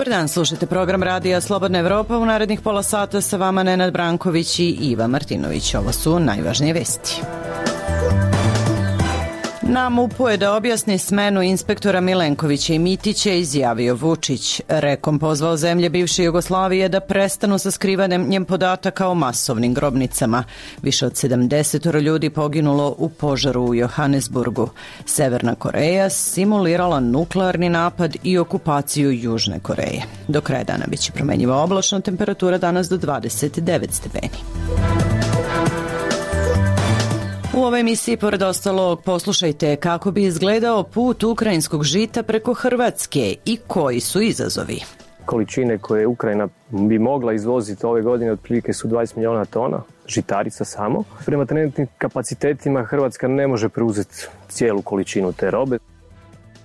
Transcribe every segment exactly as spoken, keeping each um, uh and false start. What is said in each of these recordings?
Dobar dan, slušajte program Radija Slobodna Evropa. U narednih pola sata sa vama Nenad Branković i Iva Martinović. Ovo su najvažnije vesti. Na MUP-u je da objasni smenu inspektora Milenkovića i Mitića izjavio Vučić. Rekom pozvao zemlje bivše Jugoslavije da prestanu sa skrivanjem podataka o masovnim grobnicama. Više od sedamdeset ljudi poginulo u požaru u Johannesburgu. Severna Koreja simulirala nuklearni napad i okupaciju Južne Koreje. Do kraja dana biće promenjiva oblačno, temperatura danas do dvadeset devet stepeni. U ovoj emisiji, pored ostalog, poslušajte kako bi izgledao put ukrajinskog žita preko Hrvatske i koji su izazovi. Količine koje Ukrajina bi mogla izvoziti ove godine otprilike su dvadeset milijuna tona žitarica samo. Prema trenutnim kapacitetima Hrvatska ne može preuzeti cijelu količinu te robe.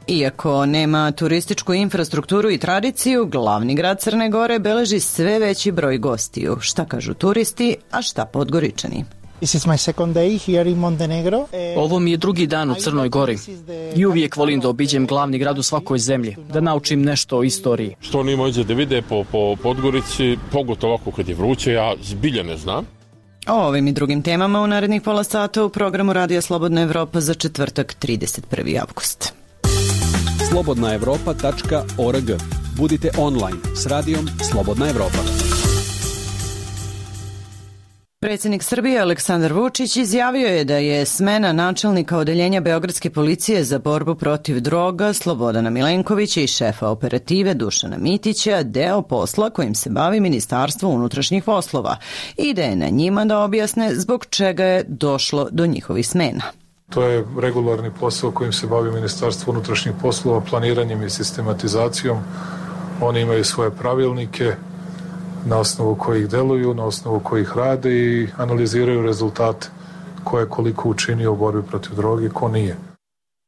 Iako nema turističku infrastrukturu i tradiciju, glavni grad Crne Gore beleži sve veći broj gostiju. Šta kažu turisti, a šta Podgoričani? Ovo mi je drugi dan u Crnoj Gori i uvijek volim da obiđem glavni grad u svakoj zemlji, da naučim nešto o istoriji. Što oni mođe da vide po, po Podgorici, pogotovo ovako kad je vruće, ja zbilja ne znam. O ovim i drugim temama u narednih pola sata u programu Radija Slobodna Evropa za četvrtak trideset prvi avgust. slobodna evropa tačka org. Budite online s radijom Slobodna Evropa. Predsjednik Srbije Aleksandar Vučić izjavio je da je smena načelnika odeljenja Beogradske policije za borbu protiv droga Slobodana Milenkovića i šefa operative Dušana Mitića deo posla kojim se bavi Ministarstvo unutrašnjih poslova i da je na njima da objasne zbog čega je došlo do njihovih smena. To je regularni posao kojim se bavi Ministarstvo unutrašnjih poslova, planiranjem i sistematizacijom. Oni imaju svoje pravilnike na osnovu kojih deluju, na osnovu kojih rade i analiziraju rezultate ko je koliko učinio u borbi protiv droge, ko nije.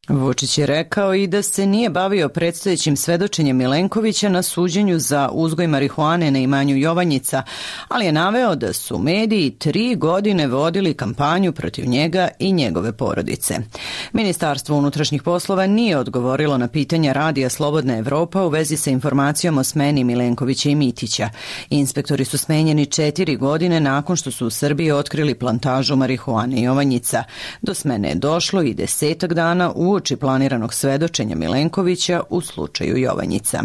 Vučić je rekao i da se nije bavio predstojećim svedočenjem Milenkovića na suđenju za uzgoj marihuane na imanju Jovanjica, ali je naveo da su mediji tri godine vodili kampanju protiv njega i njegove porodice. Ministarstvo unutrašnjih poslova nije odgovorilo na pitanja Radija Slobodna Evropa u vezi sa informacijom o smeni Milenkovića i Mitića. Inspektori su smenjeni četiri godine nakon što su u Srbiji otkrili plantažu marihuane Jovanjica. Do smene je došlo i desetak dana u uoči planiranog svedočenja Milenkovića u slučaju Jovanjica.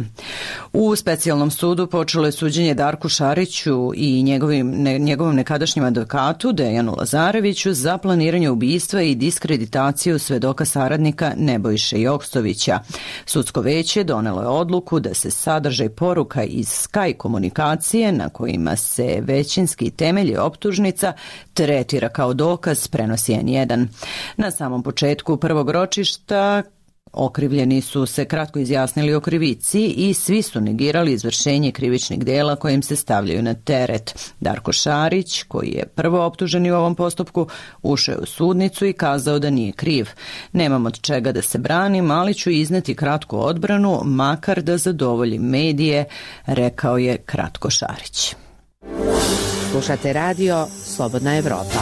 U specijalnom sudu počelo je suđenje Darku Šariću i njegovim, ne, njegovom nekadašnjem advokatu Dejanu Lazareviću za planiranje ubistva i diskreditaciju svedoka saradnika Nebojše Jokstovića. Sudsko veće donelo je odluku da se sadržaj poruka iz Sky komunikacije na kojima se većinski temelji optužnica tretira kao dokaz, prenosi en jedan. Na samom početku prvog ročišta okrivljeni su se kratko izjasnili o krivici i svi su negirali izvršenje krivičnih dela kojim se stavljaju na teret. Darko Šarić, koji je prvo optuženi u ovom postupku, ušao je u sudnicu i kazao da nije kriv. Nemam od čega da se branim, ali ću izneti kratku odbranu, makar da zadovoljim medije, rekao je kratko Šarić. Slušate radio Slobodna Evropa.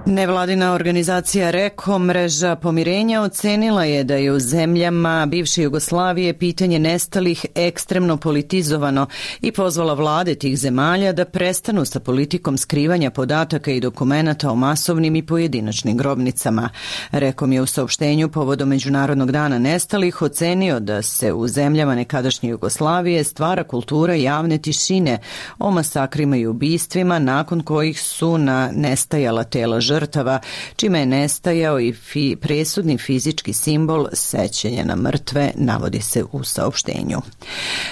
Nevladina organizacija REKO, mreža pomirenja, ocenila je da je u zemljama bivše Jugoslavije pitanje nestalih ekstremno politizovano i pozvala vlade tih zemalja da prestanu sa politikom skrivanja podataka i dokumenata o masovnim i pojedinačnim grobnicama. REKOM je u saopštenju povodom Međunarodnog dana nestalih ocenio da se u zemljama nekadašnje Jugoslavije stvara kultura javne tišine o masakrima i ubistvima nakon kojih su na nestajala tela žrtava žrtava, čime je nestajao i fi, presudni fizički simbol sećanja na mrtve, navodi se u saopštenju.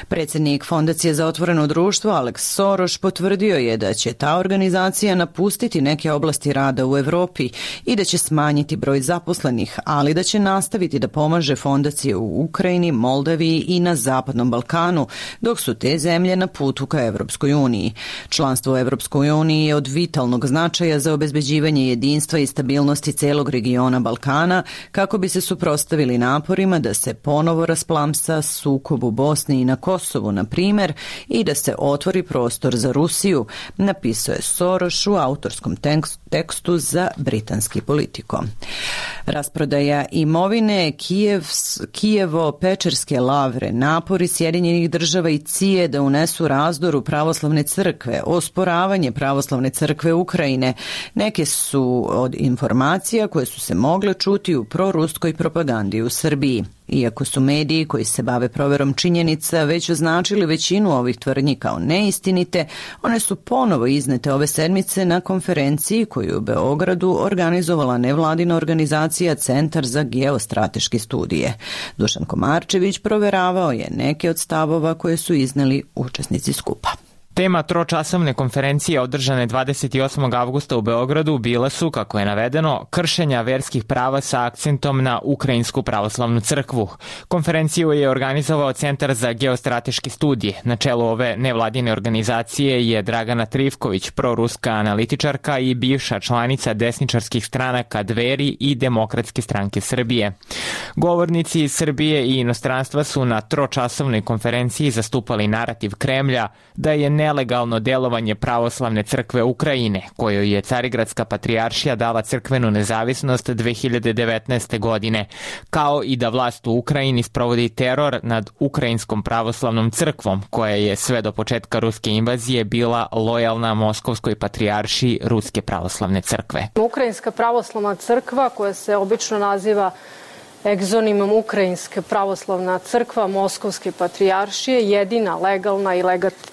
Predsjednik Fondacije za otvoreno društvo Alex Soros potvrdio je da će ta organizacija napustiti neke oblasti rada u Evropi i da će smanjiti broj zaposlenih, ali da će nastaviti da pomaže fondacije u Ukrajini, Moldaviji i na Zapadnom Balkanu, dok su te zemlje na putu ka Evropskoj uniji. Članstvo u Evropskoj uniji je od vitalnog značaja za obezbeđivanje jedinstva i stabilnosti celog regiona Balkana, kako bi se suprotstavili naporima da se ponovo rasplamsa sukob u Bosni i na Kosovu, na primjer, i da se otvori prostor za Rusiju, napisao je Soros u autorskom tekstu za britanski Politico. Rasprodaja imovine, Kijev, Kijevo-Pečerske lavre, napori Sjedinjenih država i C I E da unesu razdor u pravoslavne crkve, osporavanje pravoslavne crkve Ukrajine, neke su od informacija koje su se mogle čuti u proruskoj propagandi u Srbiji. Iako su mediji koji se bave proverom činjenica već označili većinu ovih tvrdnji kao neistinite, one su ponovo iznete ove sedmice na konferenciji koju je u Beogradu organizovala nevladina organizacija Centar za geostrateške studije. Dušan Komarčević proveravao je neke od stavova koje su izneli učesnici skupa. Tema tročasovne konferencije održane dvadeset osmog avgusta u Beogradu bile su, kako je navedeno, kršenja verskih prava sa akcentom na Ukrajinsku pravoslavnu crkvu. Konferenciju je organizovao Centar za geostrateške studije. Na čelu ove nevladine organizacije je Dragana Trivković, proruska analitičarka i bivša članica desničarskih stranaka Dveri i Demokratske stranke Srbije. Govornici iz Srbije i inostranstva su na tročasovnoj konferenciji zastupali narativ Kremlja da je nelegalno delovanje pravoslavne crkve Ukrajine, kojoj je Carigradska patrijaršija dala crkvenu nezavisnost dve hiljade devetnaeste. godine, kao i da vlast u Ukrajini sprovodi teror nad Ukrajinskom pravoslavnom crkvom, koja je sve do početka ruske invazije bila lojalna Moskovskoj patrijaršiji Ruske pravoslavne crkve. Ukrajinska pravoslavna crkva, koja se obično naziva egzonimom Ukrajinske pravoslavna crkva Moskovske patrijaršije, jedina legalna i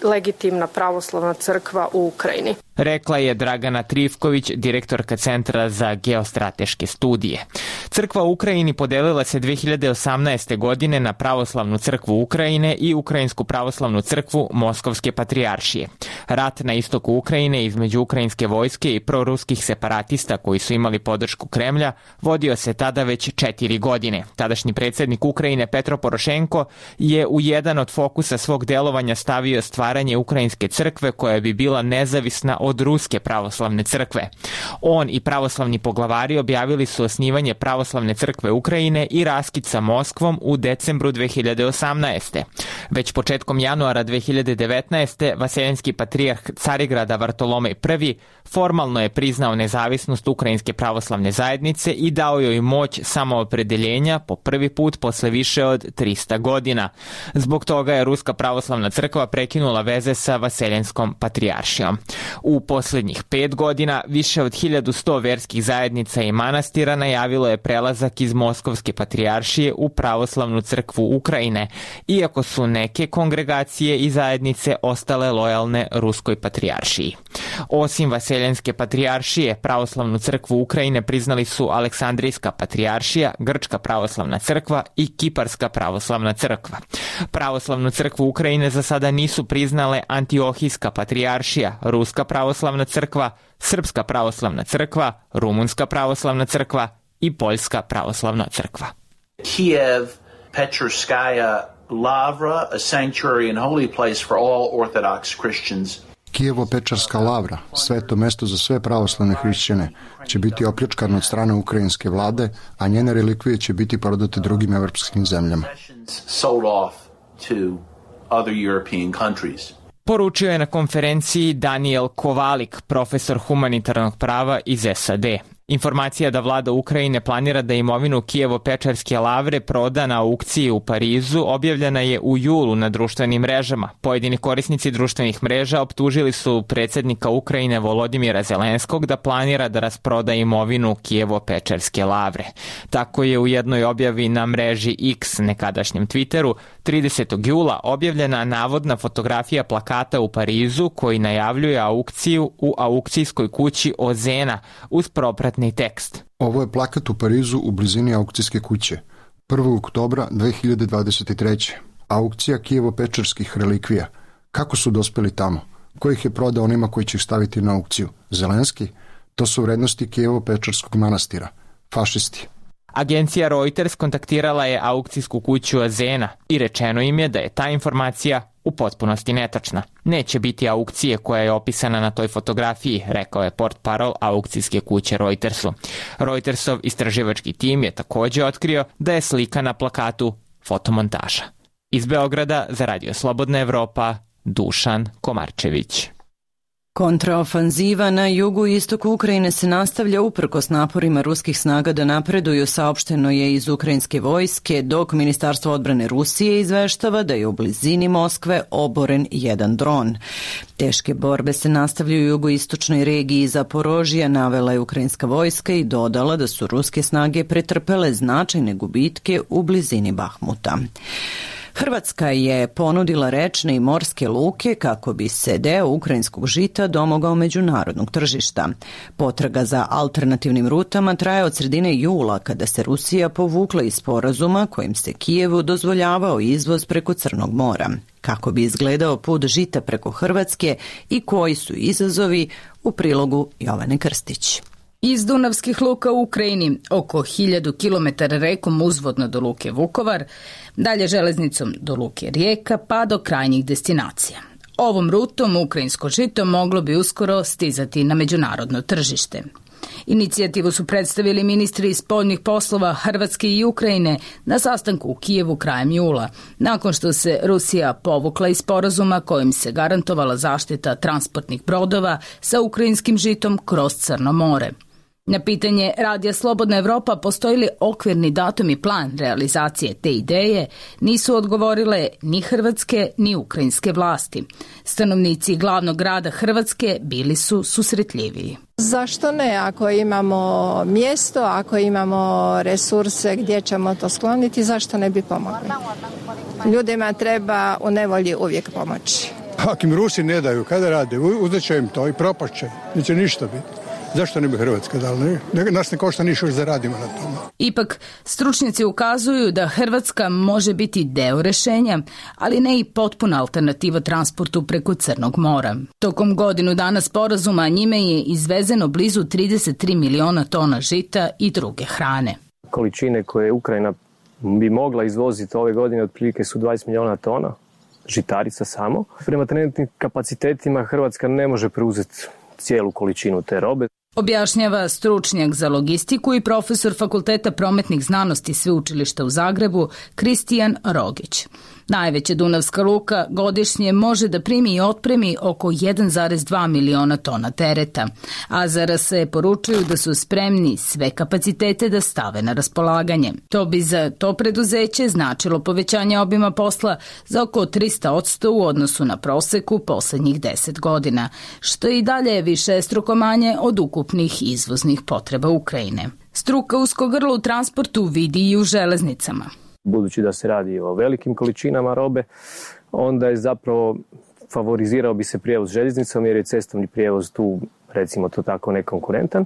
legitimna pravoslavna crkva u Ukrajini. Rekla je Dragana Trivković, direktorka Centra za geostrateške studije. Crkva u Ukrajini podelila se dve hiljade osamnaeste. godine na Pravoslavnu crkvu Ukrajine i Ukrajinsku pravoslavnu crkvu Moskovske patrijaršije. Rat na istoku Ukrajine između ukrajinske vojske i proruskih separatista koji su imali podršku Kremlja vodio se tada već četiri godine. Tadašnji predsjednik Ukrajine Petro Porošenko je u jedan od fokusa svog delovanja stavio stvaranje Ukrajinske crkve koja bi bila nezavisna od Ruske pravoslavne crkve. On i pravoslavni poglavari objavili su osnivanje Pravoslavne crkve Ukrajine i raskid sa Moskvom u decembru dve hiljade osamnaeste. Već početkom januara dve hiljade devetnaeste. Vaseljenski patrijarh Carigrada Vartolomej prvi formalno je priznao nezavisnost Ukrajinske pravoslavne zajednice i dao joj moć samoopredeljenja po prvi put posle više od trista godina. Zbog toga je Ruska pravoslavna crkva prekinula veze sa Vaseljenskom patrijaršijom. U posljednjih pet godina više od hiljadu sto verskih zajednica i manastira najavilo je prelazak iz Moskovske patrijaršije u Pravoslavnu crkvu Ukrajine, iako su neke kongregacije i zajednice ostale lojalne Ruskoj patrijaršiji. Osim Vaseljenske patrijaršije, Pravoslavnu crkvu Ukrajine priznali su Aleksandrijska patrijaršija, Grčka pravoslavna crkva i Kiparska pravoslavna crkva. Pravoslavnu crkvu Ukrajine za sada nisu priznale Antiohijska patrijaršija, Ruska pravoslavna crkva, Srpska pravoslavna crkva, Rumunska pravoslavna crkva i Poljska pravoslavna crkva. Kiev, Pečerskaja Lavra, a sanctuary and holy place for all Orthodox Christians. Kijevo-Pečarska lavra, sveto mesto za sve pravoslavne hrišćane, će biti opljačkano od strane ukrajinske vlade, a njene relikvije će biti prodate drugim evropskim zemljama. Sold off to other European countries. Poručio je na konferenciji Daniel Kovalik, profesor humanitarnog prava iz S A D. Informacija da vlada Ukrajine planira da imovinu Kijevo-Pečarske lavre proda na aukciji u Parizu objavljena je u julu na društvenim mrežama. Pojedini korisnici društvenih mreža optužili su predsjednika Ukrajine Volodimira Zelenskog da planira da rasproda imovinu Kijevo-Pečarske lavre. Tako je u jednoj objavi na mreži X, nekadašnjem Twitteru, tridesetog jula objavljena navodna fotografija plakata u Parizu koji najavljuje aukciju u aukcijskoj kući Ozena uz propratni tekst. Ovo je plakat u Parizu u blizini aukcijske kuće. prvog oktobra dve hiljade dvadeset treće. Aukcija Kijevo-Pečarskih relikvija. Kako su dospeli tamo? Ko ih je prodao onima koji će ih staviti na aukciju? Zelenski? To su vrednosti Kijevo-Pečarskog manastira. Fašisti. Agencija Reuters kontaktirala je aukcijsku kuću Azena i rečeno im je da je ta informacija u potpunosti netačna. Neće biti aukcije koja je opisana na toj fotografiji, rekao je portparol aukcijske kuće Reutersu. Reutersov istraživački tim je također otkrio da je slika na plakatu fotomontaža. Iz Beograda za Radio Slobodna Evropa, Dušan Komarčević. Kontraofanziva na jugu i istoku Ukrajine se nastavlja uprkos naporima ruskih snaga da napreduju, saopšteno je iz ukrajinske vojske, dok Ministarstvo odbrane Rusije izveštava da je u blizini Moskve oboren jedan dron. Teške borbe se nastavljaju u jugoistočnoj regiji Zaporožija, navela je ukrajinska vojska i dodala da su ruske snage pretrpele značajne gubitke u blizini Bahmuta. Hrvatska je ponudila rečne i morske luke kako bi se deo ukrajinskog žita domogao međunarodnog tržišta. Potraga za alternativnim rutama traje od sredine jula, kada se Rusija povukla iz sporazuma kojim se Kijevu dozvoljavao izvoz preko Crnog mora. Kako bi izgledao put žita preko Hrvatske i koji su izazovi, u prilogu Jovane Krstić. Iz dunavskih luka u Ukrajini, oko hiljadu kilometara rekom uzvodno do luke Vukovar, dalje železnicom do luke Rijeka pa do krajnjih destinacija. Ovom rutom ukrajinsko žito moglo bi uskoro stizati na međunarodno tržište. Inicijativu su predstavili ministri spoljnih poslova Hrvatske i Ukrajine na sastanku u Kijevu krajem jula, nakon što se Rusija povukla iz sporazuma kojim se garantovala zaštita transportnih brodova sa ukrajinskim žitom kroz Crno more. Na pitanje Radija Slobodna Evropa postoji li okvirni datum i plan realizacije te ideje, nisu odgovorile ni hrvatske ni ukrajinske vlasti. Stanovnici glavnog grada Hrvatske bili su susretljiviji. Zašto ne? Ako imamo mjesto, ako imamo resurse gdje ćemo to skloniti, zašto ne bi pomogli? Ljudima treba u nevolji uvijek pomoći. Ako im Rusi ne daju, kada rade, uzet će im to i propašće, neće ništa biti. Zašto ne bi Hrvatska dala? Ne? Nas ne košta ništa, još zaradimo na tome. Ipak, stručnjaci ukazuju da Hrvatska može biti deo rešenja, ali ne i potpuna alternativa transportu preko Crnog mora. Tokom godinu dana sporazuma njime je izvezeno blizu trideset tri miliona tona žita i druge hrane. Količine koje Ukrajina bi mogla izvoziti ove godine otprilike su dvadeset miliona tona žitarica samo. Prema trenutnim kapacitetima Hrvatska ne može preuzeti cijelu količinu te robe. Objašnjava stručnjak za logistiku i profesor Fakulteta prometnih znanosti Sveučilišta u Zagrebu Kristijan Rogić. Najveća dunavska luka godišnje može da primi i otpremi oko jedan zarez dva miliona tona tereta, a Z R S poručuju da su spremni sve kapacitete da stave na raspolaganje. To bi za to preduzeće značilo povećanje obima posla za oko tristo posto u odnosu na proseku poslednjih deset godina, što i dalje je višestruko manje od ukupnih izvoznih potreba Ukrajine. Struka usko grlo u transportu vidi i u železnicama. Budući da se radi o velikim količinama robe, onda je zapravo favorizirao bi se prijevoz željeznicom jer je cestovni prijevoz tu, recimo to tako, nekonkurentan.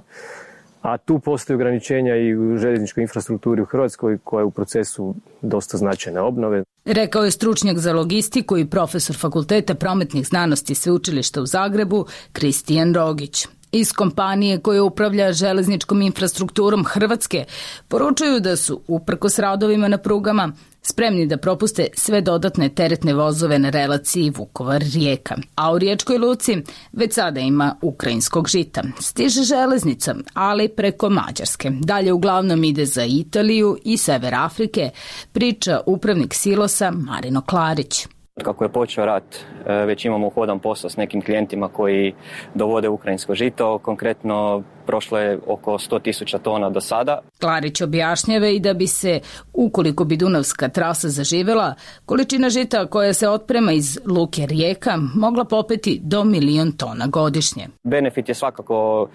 A tu postoje ograničenja i u željezničkoj infrastrukturi u Hrvatskoj koja je u procesu dosta značajne obnove. Rekao je stručnjak za logistiku i profesor Fakulteta prometnih znanosti Sveučilišta u Zagrebu Kristijan Rogić. Iz kompanije koja upravlja železničkom infrastrukturom Hrvatske poručuju da su, uprkos radovima na prugama, spremni da propuste sve dodatne teretne vozove na relaciji Vukovar-Rijeka. A u Riječkoj luci već sada ima ukrajinskog žita. Stiže železnica, ali preko Mađarske. Dalje uglavnom ide za Italiju i sever Afrike, priča upravnik silosa Marino Klarić. Kako je počeo rat, već imamo uhodan posao s nekim klijentima koji dovode ukrajinsko žito. Konkretno, prošlo je oko sto tisuća tona do sada. Klarić objašnjava i da bi se, ukoliko bi dunavska trasa zaživela, količina žita koja se otprema iz luke Rijeka mogla popeti do milion tona godišnje. Benefit je svakako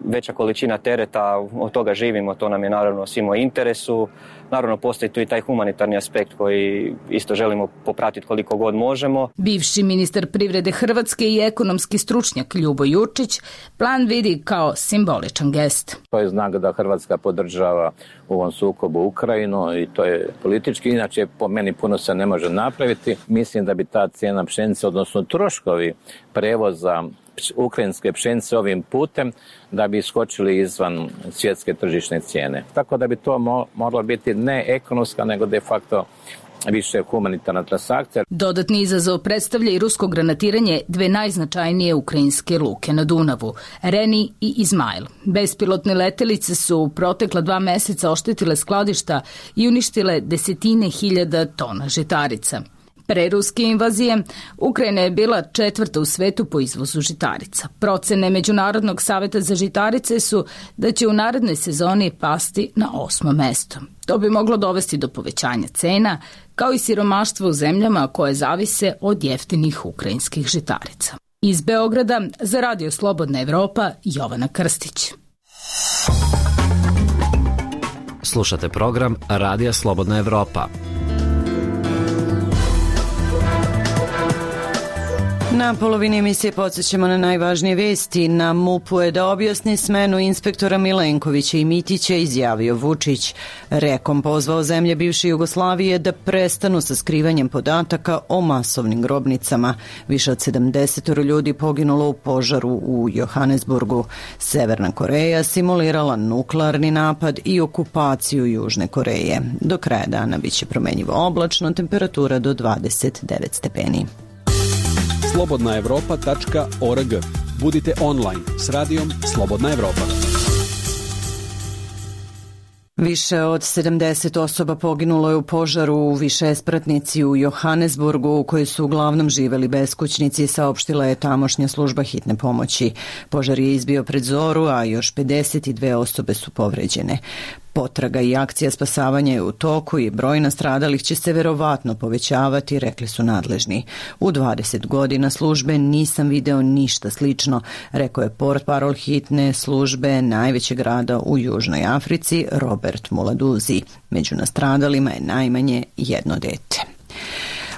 veća količina tereta, od toga živimo, to nam je naravno svima u interesu. Naravno, postoji tu i taj humanitarni aspekt koji isto želimo popratiti koliko god možemo. Bivši ministar privrede Hrvatske i ekonomski stručnjak Ljubo Jurčić plan vidi kao simboličan gest. To je znak da Hrvatska podržava u ovom sukobu Ukrajinu i to je politički. Inače, po meni puno se ne može napraviti. Mislim da bi ta cijena pšenice, odnosno troškovi prevoza ukrajinske pšenice ovim putem, da bi iskočili izvan svjetske tržišne cijene. Tako da bi to mo- moralo biti ne ekonomska, nego de facto više humanitarna transakcija. Dodatni izazov predstavlja i rusko granatiranje dve najznačajnije ukrajinske luke na Dunavu, Reni i Izmail. Bespilotne letelice su u protekla dva meseca oštetile skladišta i uništile desetine hiljada tona žitarica. Pre ruske invazije, Ukrajina je bila četvrta u svetu po izvozu žitarica. Procene Međunarodnog saveta za žitarice su da će u narednoj sezoni pasti na osmo mesto. To bi moglo dovesti do povećanja cena, kao i siromaštva u zemljama koje zavise od jeftinih ukrajinskih žitarica. Iz Beograda za Radio Slobodna Evropa, Jovana Krstić. Slušate program Radija Slobodna Evropa. Na polovini emisije podsjećamo na najvažnije vesti. Na MUP-u je da objasni smenu inspektora Milenkovića i Mitića, izjavio Vučić. Rekom pozvao zemlje bivše Jugoslavije da prestanu sa skrivanjem podataka o masovnim grobnicama. Više od sedamdeset ljudi poginulo u požaru u Johannesburgu. Severna Koreja simulirala nuklearni napad i okupaciju Južne Koreje. Do kraja dana biće promenjivo oblačno, temperatura do dvadeset devet stepeni. slobodna evropa tačka org. Budite online s radijom Slobodna Evropa. Više od sedamdeset osoba poginulo je u požaru u višespratnici u Johannesburgu, u kojoj su uglavnom živeli beskućnici, saopštila je tamošnja služba hitne pomoći. Požar je izbio pred zoru, a još pedeset dve osobe su povređene. Potraga i akcija spasavanja je u toku i broj nastradalih će se verovatno povećavati, rekli su nadležni. U dvadeset godina službe nisam video ništa slično, rekao je portparol hitne službe najvećeg grada u Južnoj Africi, Robert Muladuzi. Među nastradalima je najmanje jedno dete.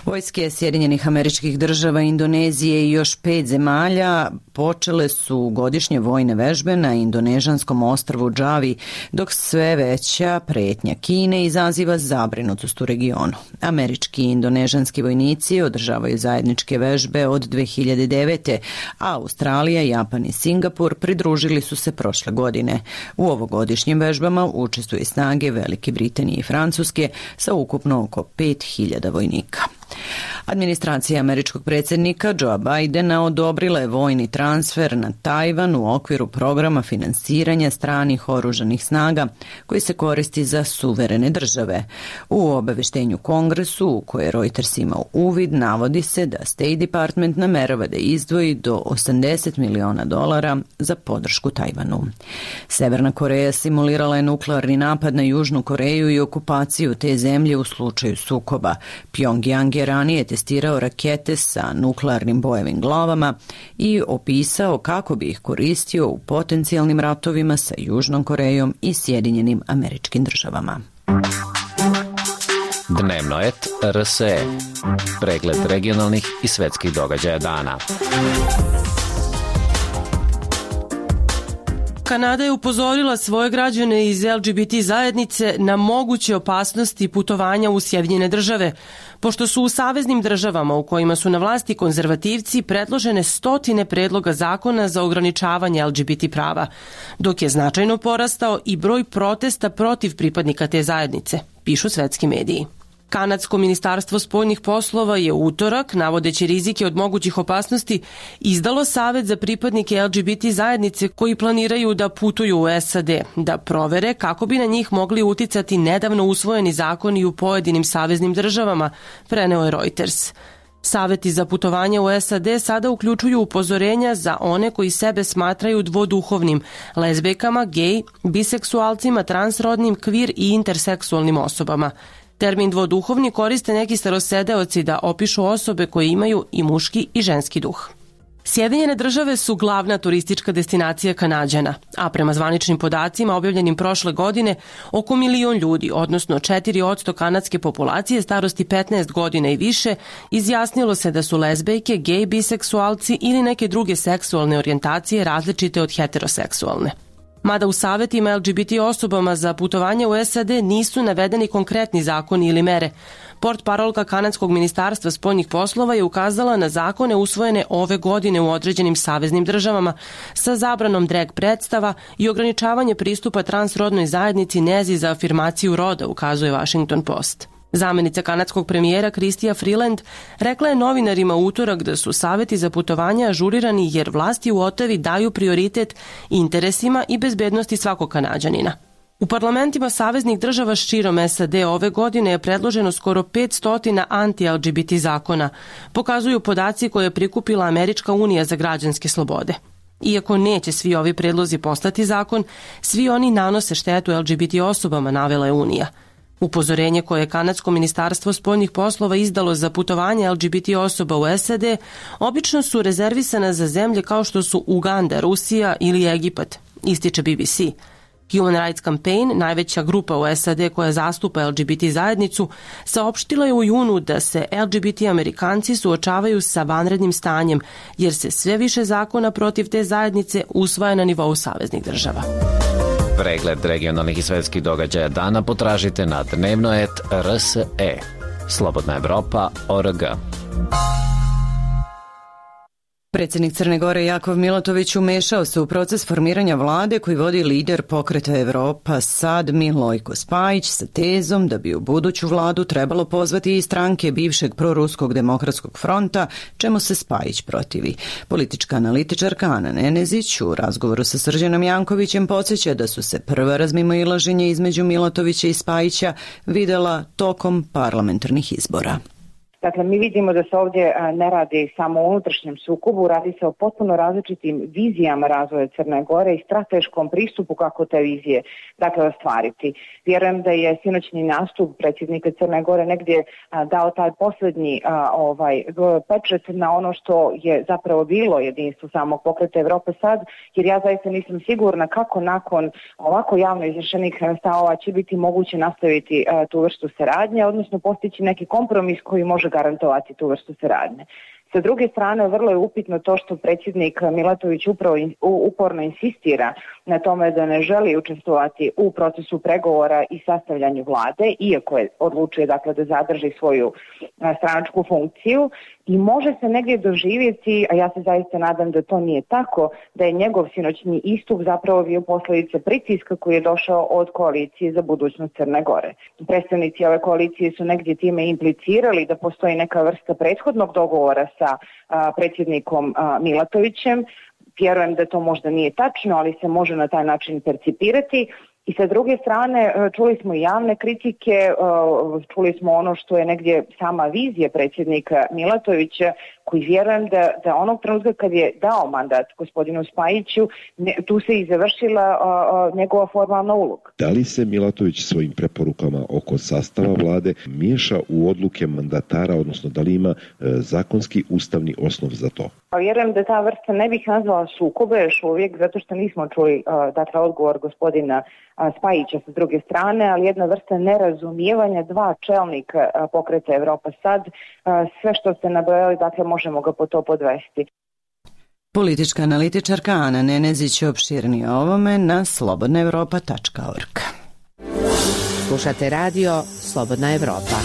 Vojske Sjedinjenih Američkih Država, Indonezije i još pet zemalja počele su godišnje vojne vežbe na indonežanskom ostrvu Džavi, dok sve veća pretnja Kine izaziva zabrinutost u regionu. Američki i indonežanski vojnici održavaju zajedničke vežbe od dve hiljade devete. a Australija, Japan i Singapur pridružili su se prošle godine. U ovogodišnjim vežbama učestvuju snage Velike Britanije i Francuske sa ukupno oko pet hiljada vojnika. Administracija američkog predsjednika Joea Bidena odobrila je vojni transfer na Tajvan u okviru programa finansiranja stranih oružanih snaga koji se koristi za suverene države. U obaveštenju Kongresu, u koje Reuters imao uvid, navodi se da State Department namerava da izdvoji do osamdeset miliona dolara za podršku Tajvanu. Severna Koreja simulirala je nuklearni napad na Južnu Koreju i okupaciju te zemlje u slučaju sukoba. Pyongyang je ranije testirao rakete sa nuklearnim bojevim glavama i opisao kako bi ih koristio u potencijalnim ratovima sa Južnom Korejom i Sjedinjenim Američkim Državama. Dnevno et R S E. Pregled regionalnih i svetskih događaja dana. Kanada je upozorila svoje građane iz L G B T zajednice na moguće opasnosti putovanja u Sjedinjene Države, pošto su u saveznim državama u kojima su na vlasti konzervativci predložene stotine predloga zakona za ograničavanje L G B T prava, dok je značajno porastao i broj protesta protiv pripadnika te zajednice, pišu svetski mediji. Kanadsko ministarstvo spoljnih poslova je u utorak, navodeći rizike od mogućih opasnosti, izdalo savet za pripadnike L G B T zajednice koji planiraju da putuju u S A D, da provere kako bi na njih mogli uticati nedavno usvojeni zakoni u pojedinim saveznim državama, preneo je Reuters. Saveti za putovanje u S A D sada uključuju upozorenja za one koji sebe smatraju dvoduhovnim, lezbejkama, gej, biseksualcima, transrodnim, kvir i interseksualnim osobama. Termin dvoduhovni koriste neki starosedeoci da opišu osobe koje imaju i muški i ženski duh. Sjedinjene Države su glavna turistička destinacija Kanađana, a prema zvaničnim podacima objavljenim prošle godine, oko milion ljudi, odnosno četiri posto kanadske populacije starosti petnaest godina i više, izjasnilo se da su lezbejke, gej, biseksualci ili neke druge seksualne orijentacije različite od heteroseksualne. Mada u savetima L G B T osobama za putovanje u S A D nisu navedeni konkretni zakoni ili mere, portparolka kanadskog ministarstva spoljnih poslova je ukazala na zakone usvojene ove godine u određenim saveznim državama sa zabranom drag predstava i ograničavanje pristupa transrodnoj zajednici nezi za afirmaciju roda, ukazuje Washington Post. Zamenica kanadskog premijera Chrystia Freeland rekla je novinarima u utorak da su saveti za putovanja ažurirani jer vlasti u Otavi daju prioritet interesima i bezbednosti svakog Kanađanina. U parlamentima saveznih država širom S A D ove godine je predloženo skoro petsto anti-L G B T zakona, pokazuju podaci koje je prikupila Američka unija za građanske slobode. Iako neće svi ovi predlozi postati zakon, svi oni nanose štetu L G B T osobama, navela je Unija. Upozorenje koje je kanadsko ministarstvo spoljnih poslova izdalo za putovanje L G B T osoba u S A D obično su rezervisana za zemlje kao što su Uganda, Rusija ili Egipat, ističe B B C. Human Rights Campaign, najveća grupa u S A D koja zastupa L G B T zajednicu, saopštila je u junu da se L G B T Amerikanci suočavaju sa vanrednim stanjem, jer se sve više zakona protiv te zajednice usvaja na nivou saveznih država. Pregled regionalnih i svetskih događaja dana potražite na dnevnoet R S E. Slobodna Evropa O R G. Predsjednik Crne Gore Jakov Milatović umešao se u proces formiranja vlade koji vodi lider Pokreta Evropa Sad Milojko Spajić sa tezom da bi u buduću vladu trebalo pozvati i stranke bivšeg proruskog demokratskog fronta, čemu se Spajić protivi. Politička analitičarka Ana Nenezić u razgovoru sa Srđanom Jankovićem podsjeća da su se prva razmimoilaženja između Milatovića i Spajića videla tokom parlamentarnih izbora. Dakle, mi vidimo da se ovdje ne radi samo o unutrašnjem sukobu, radi se o potpuno različitim vizijama razvoja Crne Gore i strateškom pristupu kako te vizije dakle ostvariti. Vjerujem da je sinoćni nastup predsjednika Crne Gore negdje dao taj posljednji ovaj pečat na ono što je zapravo bilo jedinstvo samog Pokreta Evrope Sad, jer ja zaista nisam sigurna kako nakon ovako javno izrečenih stavova će biti moguće nastaviti tu vrstu saradnje, odnosno postići neki kompromis koji može garantovati tu vrstu saradnje. Sa druge strane, vrlo je upitno to što predsjednik Milatović upravo uporno insistira na tome da ne želi učestvovati u procesu pregovora i sastavljanju vlade, iako je odlučio dakle, da zadrži svoju stranačku funkciju, i može se negdje doživjeti, a ja se zaista nadam da to nije tako, da je njegov sinoćni istup zapravo bio posljedica pritiska koji je došao od koalicije za budućnost Crne Gore. Predstavnici ove koalicije su negdje time implicirali da postoji neka vrsta prethodnog dogovora sa a, predsjednikom a, Milatovićem. Vjerujem da to možda nije tačno, ali se može na taj način percipirati. I sa druge strane, čuli smo i javne kritike, čuli smo ono što je negdje sama vizija predsjednika Milatovića, koji vjerujem da, da onog trenutka kad je dao mandat gospodinu Spajiću, ne, tu se i završila a, a, njegova formalna uloga. Da li se Milatović svojim preporukama oko sastava vlade miješa u odluke mandatara, odnosno da li ima e, zakonski ustavni osnov za to? Pa vjerujem da ta vrsta ne bih nazvala sukobe još uvijek, zato što nismo čuli a, dakle, odgovor gospodina a, Spajića sa druge strane, ali jedna vrsta nerazumijevanja dva čelnika a, Pokreta Evropa Sad, a, sve što ste nabrojali, dakle, možemo ga po to podvesti. Politička analitičarka Ana Nenezić opširnije o ovome na slobodna evropa tačka org. Slušate radio Slobodna Evropa.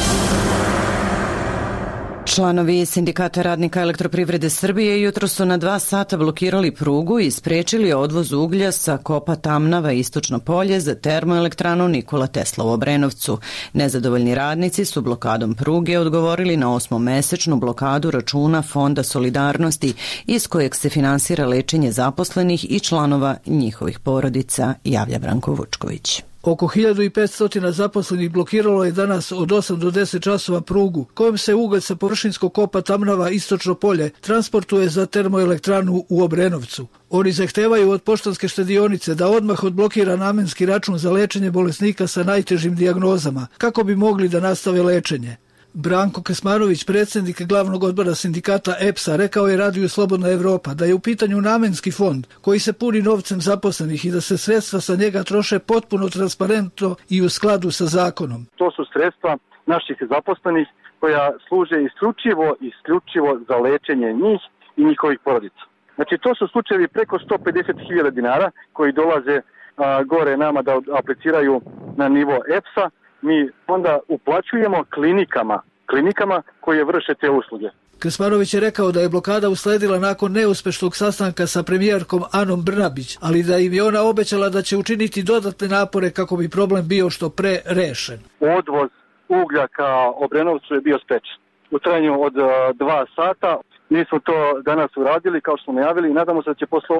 Članovi Sindikata radnika Elektroprivrede Srbije jutro su na dva sata blokirali prugu i sprečili odvoz uglja sa kopa Tamnava Istočno polje za termoelektranu Nikola Tesla u Obrenovcu. Nezadovoljni radnici su blokadom pruge odgovorili na osmomesečnu blokadu računa Fonda solidarnosti iz kojeg se finansira lečenje zaposlenih i članova njihovih porodica, javlja Branko Vučković. Oko hiljadu petsto zaposlenih blokiralo je danas od osam do deset časova prugu, kojom se ugalj sa površinskog kopa Tamnava Istočno polje transportuje za termoelektranu u Obrenovcu. Oni zahtevaju od Poštanske štedionice da odmah odblokira namenski račun za lečenje bolesnika sa najtežim dijagnozama, kako bi mogli da nastave lečenje. Branko Kasmanović, predsjednik glavnog odbora sindikata E P S-a, rekao je Radiju Slobodna Evropa da je u pitanju namenski fond koji se puni novcem zaposlenih i da se sredstva sa njega troše potpuno transparentno i u skladu sa zakonom. To su sredstva naših zaposlenih koja služe isključivo, isključivo za lečenje njih i njihovih porodica. Znači to su slučajevi preko sto pedeset hiljada dinara koji dolaze a, gore nama da apliciraju na nivo E P S-a. Mi onda uplaćujemo klinikama, klinikama koje vrše te usluge. Kasmanović je rekao da je blokada usledila nakon neuspešnog sastanka sa premijerkom Anom Brnabić, ali da im je ona obećala da će učiniti dodatne napore kako bi problem bio što pre rešen. Odvoz uglja ka Obrenovcu je bio sprečen u trajanju od dva sata. Mi smo to danas uradili kao što smo najavili i nadamo se da će posle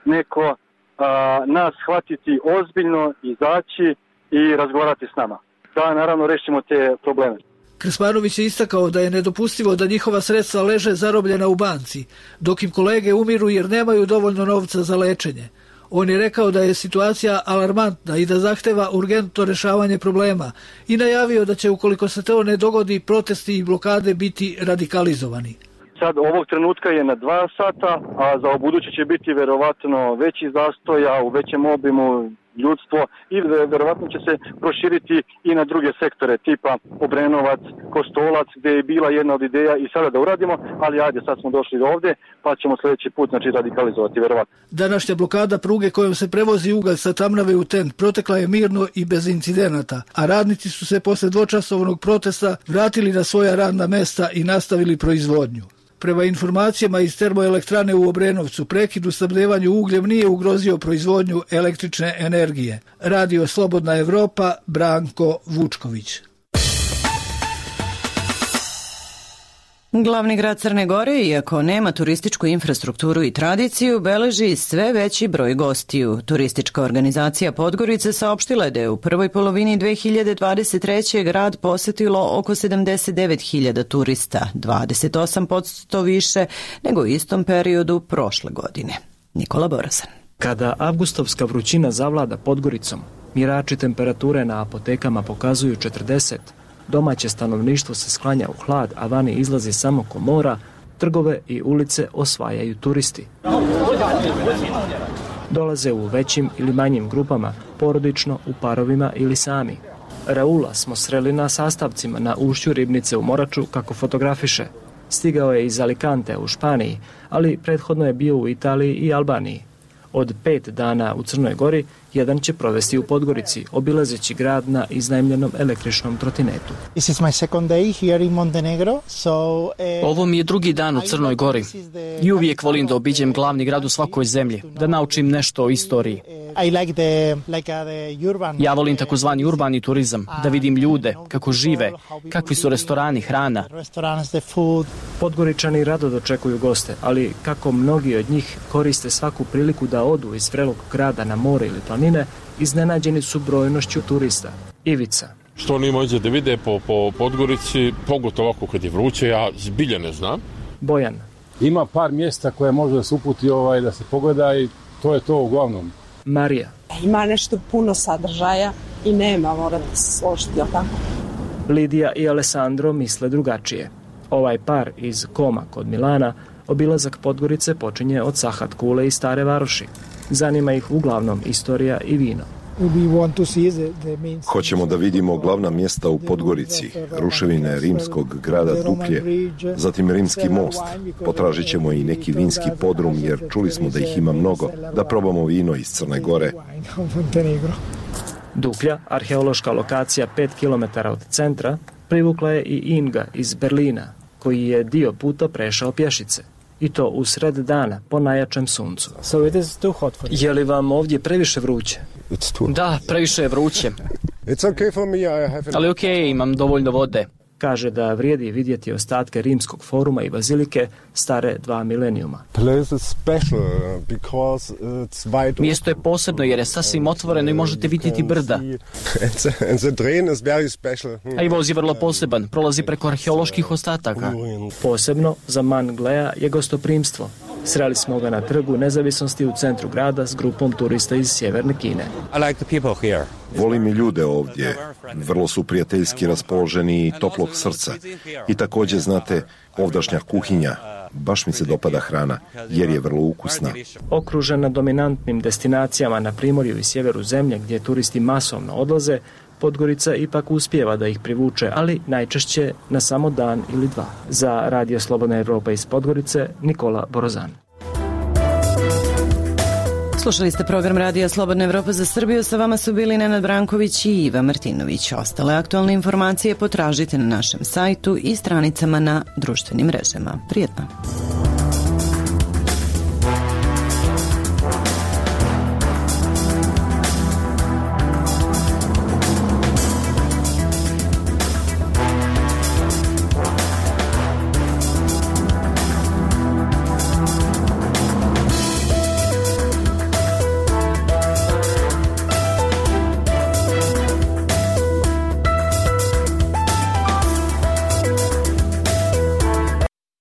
neko a, nas shvatiti ozbiljno, izaći i razgovarati s nama. Da, naravno, rešimo te probleme. Krsmanović je istakao da je nedopustivo da njihova sredstva leže zarobljena u banci, dok im kolege umiru jer nemaju dovoljno novca za lečenje. On je rekao da je situacija alarmantna i da zahteva urgentno rešavanje problema i najavio da će, ukoliko se to ne dogodi, protesti i blokade biti radikalizovani. Sad ovog trenutka je na dva sata, a za obuduće će biti verovatno veći zastoja u većem obimu, ljudstvo i verovatno će se proširiti i na druge sektore tipa Obrenovac, Kostolac, gde je bila jedna od ideja i sada da uradimo, ali ajde, sad smo došli do ovde, pa ćemo sljedeći put znači radikalizovati verovatno. Današnja blokada pruge kojom se prevozi ugalj sa Tamnave u Tent protekla je mirno i bez incidenata, a radnici su se posle dvočasovnog protesta vratili na svoja radna mesta i nastavili proizvodnju. Prema informacijama iz termoelektrane u Obrenovcu, prekid u snabdevanju ugljem nije ugrozio proizvodnju električne energije. Radio Slobodna Evropa, Branko Vučković. Glavni grad Crne Gore, iako nema turističku infrastrukturu i tradiciju, beleži sve veći broj gostiju. Turistička organizacija Podgorice saopštila je da je u prvoj polovini dve hiljade dvadeset treće. grad posetilo oko sedamdeset devet hiljada turista, dvadeset osam posto više nego u istom periodu prošle godine. Nikola Borasan. Kada avgustovska vrućina zavlada Podgoricom, mjerači temperature na apotekama pokazuju četrdeset, domaće stanovništvo se sklanja u hlad, a vani izlazi samo komora, trgove i ulice osvajaju turisti. Dolaze u većim ili manjim grupama, porodično, u parovima ili sami. Raula smo sreli na sastavcima na ušću Ribnice u Moraču kako fotografiše. Stigao je iz Alicante u Španiji, ali prethodno je bio u Italiji i Albaniji. Od pet dana u Crnoj Gori, jedan će provesti u Podgorici, obilazeći grad na iznajmljenom električnom trotinetu. Ovo mi je drugi dan u Crnoj Gori i uvijek volim da obiđem glavni grad u svakoj zemlji, da naučim nešto o istoriji. Ja volim takozvani urbani turizam, da vidim ljude, kako žive, kakvi su restorani, hrana. Podgoričani rado dočekuju goste, ali kako mnogi od njih koriste svaku priliku da odu iz vrelog grada na more ili planine, iznenađeni su brojnošću turista. Ivica. Što oni može da vide po, po Podgorici, pogotovo ovako kad je vruće, ja zbilja ne znam. Bojan. Ima par mjesta koje može da se uputi ovaj, da se pogleda i to je to uglavnom. Marija. Ima nešto puno sadržaja i nema, morate se složiti, jel tako? Lidija i Alessandro misle drugačije. Ovaj par iz Koma kod Milana obilazak Podgorice počinje od Sahat Kule i Stare Varoši. Zanima ih uglavnom istorija i vino. Hoćemo da vidimo glavna mjesta u Podgorici, ruševine rimskog grada Duklje, zatim Rimski most. Potražit ćemo i neki vinski podrum jer čuli smo da ih ima mnogo, da probamo vino iz Crne Gore. Duklja, arheološka lokacija pet kilometara od centra, privukla je i Inga iz Berlina, koji je dio puta prešao pješice. I to u sred dana, po najjačem suncu. Je li vam ovdje previše vruće? Da, previše je vruće. Ali okej, okay, imam dovoljno vode. Kaže da vrijedi vidjeti ostatke rimskog foruma i bazilike stare dva milenijuma. Mjesto je posebno jer je sasvim otvoreno i možete vidjeti brda. A i voz je vrlo poseban, prolazi preko arheoloških ostataka. Posebno za Man Glea je gostoprimstvo. Sreli smo ga na trgu Nezavisnosti u centru grada s grupom turista iz sjeverne Kine. Volim i ljude ovdje. Vrlo su prijateljski raspoloženi i toplog srca. I također, znate, ovdašnja kuhinja. Baš mi se dopada hrana, jer je vrlo ukusna. Okružena dominantnim destinacijama na primorju i sjeveru zemlje, gdje turisti masovno odlaze, Podgorica ipak uspijeva da ih privuče, ali najčešće na samo dan ili dva. Za Radio Slobodna Evropa iz Podgorice, Nikola Borozan. Slušali ste program Radija Slobodna Evropa za Srbiju. Sa vama su bili Nenad Branković i Iva Martinović. Ostale aktualne informacije potražite na našem sajtu i stranicama na društvenim mrežama. Prijetno!